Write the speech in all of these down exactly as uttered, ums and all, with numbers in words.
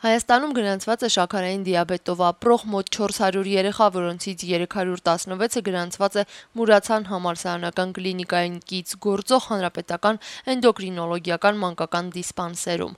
Հայաստանում գրանցված է շաքարային դիաբետով ապրող մոտ չորս հարյուր երեխա, որոնցից երեք հարյուր տասնվեցը գրանցված է Մուրացան համալսարանական կլինիկային կից գործող հանրապետական էնդոկրինոլոգիական մանկական դիսպանսերում։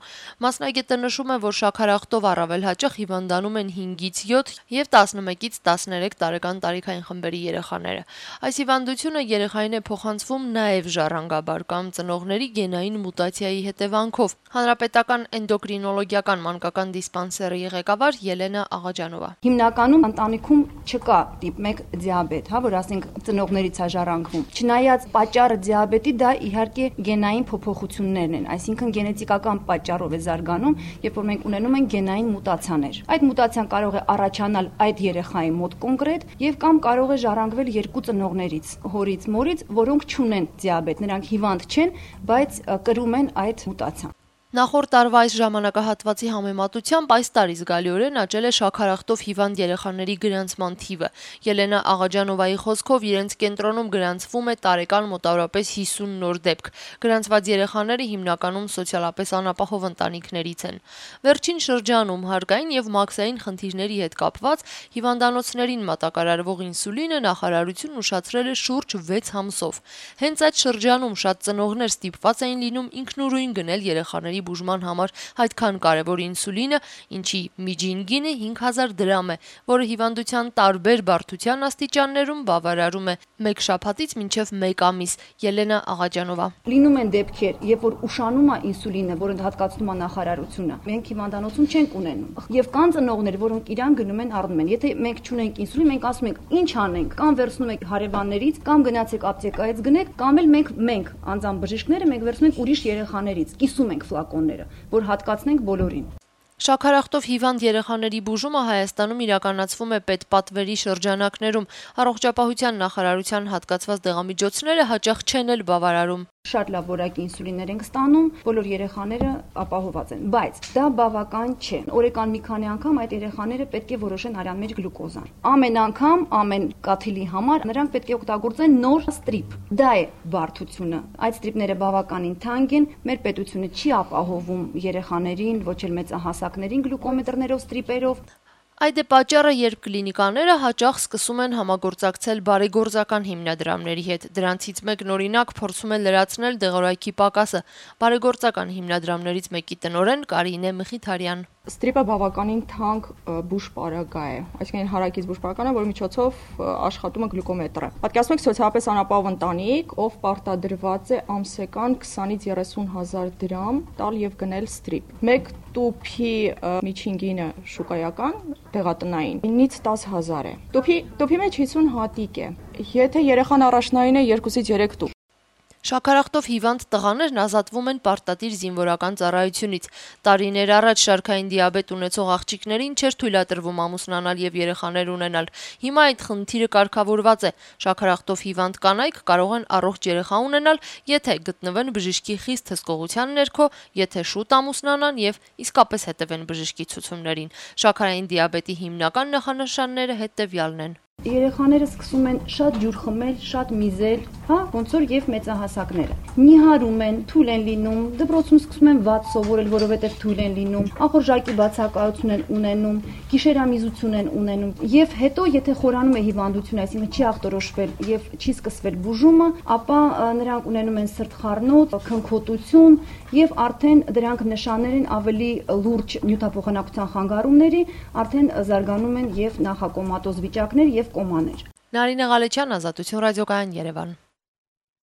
Մասնագետը նշում է, որ շաքարախտով առավել հաճախ հիվանդանում են հինգից յոթ եւ տասնմեկից տասներեք տարեկան տարիքային խմբերի երեխաները։ Այս հիվանդությունը երեխային է փոխանցվում նաեւ ժառանգաբար կամ ծնողների գենային մուտացիայի հետևանքով։ Հանրապետական էնդոկրինոլոգիական մանկական դիսպանսերի ղեկավար Ելենա Աղաջանովա. Հիմնականում ընտանիքում չկա տիպ մեկ դիաբետ, հա, որ ասենք ծնողներից է ժառանգվում։ Չնայած պատճառը դիաբետի դա իհարկե գենային փոփոխություններն են, այսինքն գենետիկական պատճառով է զարգանում, երբ որ մենք ունենում ենք գենային մուտացիաներ։ Այդ մուտացիան կարող է առաջանալ այդ երեխայի մոտ կոնկրետ եւ կամ կարող է ժառանգվել երկու ծնողներից, հորից, մորից, որոնք չունեն դիաբետ, նրանք հիվանդ չեն, բայց կրում են այդ մուտացիան։ Նախորդ տարվա այս ժամանակահատվածի համեմատությամբ այս տարի զգալիորեն աճել է շաքարախտով հիվանդ երեխաների գրանցման թիվը։ Ելենա Աղաջանովայի խոսքով իրենց կենտրոնում գրանցվում է տարեկան մոտավորապես հիսուն նոր դեպք։ Գրանցված երեխաները հիմնականում սոցիալապես անապահով ընտանիքներից են։ Վերջին շրջանում հարկային եւ մաքսային խնդիրների հետ կապված հիվանդանոցներին մատակարարվող ինսուլինը նախարարությունն ուշացրել է շուրջ վեց ամսով։ Հենց այդ շրջանում շատ ծնողներ ստիպված էին լինում ինքնուրույն գնել երեխաների բուժման համար այդքան կարևոր ինսուլինը, ինչի միջին գինը հինգ հազար դրամ է, որը հիվանդության տարբեր բարդության աստիճաններում բավարարում է մեկ շաբաթից մինչև մեկ ամիս։ Ելենա Աղաջանովա. Լինում են դեպքեր, երբ որ ուշանում է ինսուլինը, որը հատկացնում է նախարարությունը, մենք հիվանդանոցում չենք ունենում։ Եվ կան ծնողներ, որոնք իրան գնում են առնում են։ Եթե մենք չունենք ինսուլին, մենք ասում ենք, ինչ անենք, կամ վերցնում ենք հարևաններից, կամ գնացեք ապտեկայից գնեք, կամ էլ մենք մենք անձամբ բժիշկները մենք վերցնում ենք ուրիշ երեխաներից, կիսում ենք ֆլակոնները, որ հատկացնենք բոլորին։ Շաքարախտով հիվանդ երեխաների բուժումը Հայաստանում իրականացվում է պետպատվերի շրջանակներում։ Առողջապահության նախարարության հատկացված դեղամիջոցները հաճախ չեն էլ բավարարում։ Շատ լավ որակի ինսուլիններ ենք ստանում, բոլոր երեխաները ապահոված են, բայց դա բավական չէ։ Օրեկան մի քանի անգամ այդ երեխաները պետք է որոշեն արյան մեջ գլուկոզան։ Ամեն անգամ, ամեն կաթիլի համար նրանք պետք է օգտագործեն նոր ստրիպ։ Դա է բարդությունը։ Այդ ստրիպները բավականին թանկ են, մեր պետությունը չի ապահովում երեխաներին, ոչ էլ մեծահասակներին գլուկոմետրներով, ստրիպերով։ Այդ է պատճառը, երբ կլինիկաները հաճախ սկսում են համագործակցել բարեգործական հիմնադրամների հետ։ Դրանցից մեկն օրինակ փորձում է լրացնել դեղորայքի պակասը։ Բարեգործական հիմնադրամներից մեկի տնօրեն Կարինե Մխիթարյան. Ստրիպը բավականին թանկ բուժպարագա է, այսինքն հարակից բուժպարագան է, որի միջոցով աշխատում է գլուկոմետրը։ Պատկերացնեք սոցիալապես անապահով ընտանիք, ով պարտադրված է ամսական քսանից երեսուն հազար դրամ տալ եւ գնել ստրիպ։ Մեկ տուփի միջին գինը շուկայական դեղատնային ինից տաս հազար է։ Տուփի տուփի մեջ հիսուն հատիկ է։ Եթե երեխան առաջնային է երկուսից երեք տուփ։ Շաքարախտով հիվանդ տղաներն ազատվում են պարտադիր զինվորական ծառայությունից։ Տարիներ առաջ շարքային դիաբետ ունեցող աղջիկներին չէր թույլատրվում ամուսնանալ եւ երեխաներ ունենալ։ Հիմա այդ խնդիրը կարգավորված է։ Շաքարախտով հիվանդ կանայք կարող են առողջ երեխա ունենալ, եթե գտնվեն բժշկի խիստ հսկողության ներքո, եթե շուտ ամուսնանան եւ իսկապես հետևեն բժշկի ցուցումներին։ Շաքարային դիաբետի հիմնական նախանշանները հետեւյալն են. Երեխաները սկսում են շատ ջուր խմել, շատ միզել, հա, ոնց որ եւ մեծահասակները։ Նիհարում են, թույլ են լինում, դպրոցում սկսում են վատ սովորել, որովհետեւ թույլ են լինում, ախորժակի բացակայություն են ունենում, գիշերամիզություն են ունենում։ Եվ հետո, եթե խորանում է հիվանդությունը, այսինքն չի ախտորոշվել եւ չի սկսվել բուժումը, ապա նրանք ունենում են սրտխառնոց, քնքոտություն եւ արդեն դրանք նշաններ են ավելի լուրջ նյութափոխանակության խանգարումների, արդեն զարգանում են եւ նախակոմատոզ վիճակներ եւ կոմաներ։ Նարինե Ղալեչյան, Ազատություն ռադիոկայան, Երևան։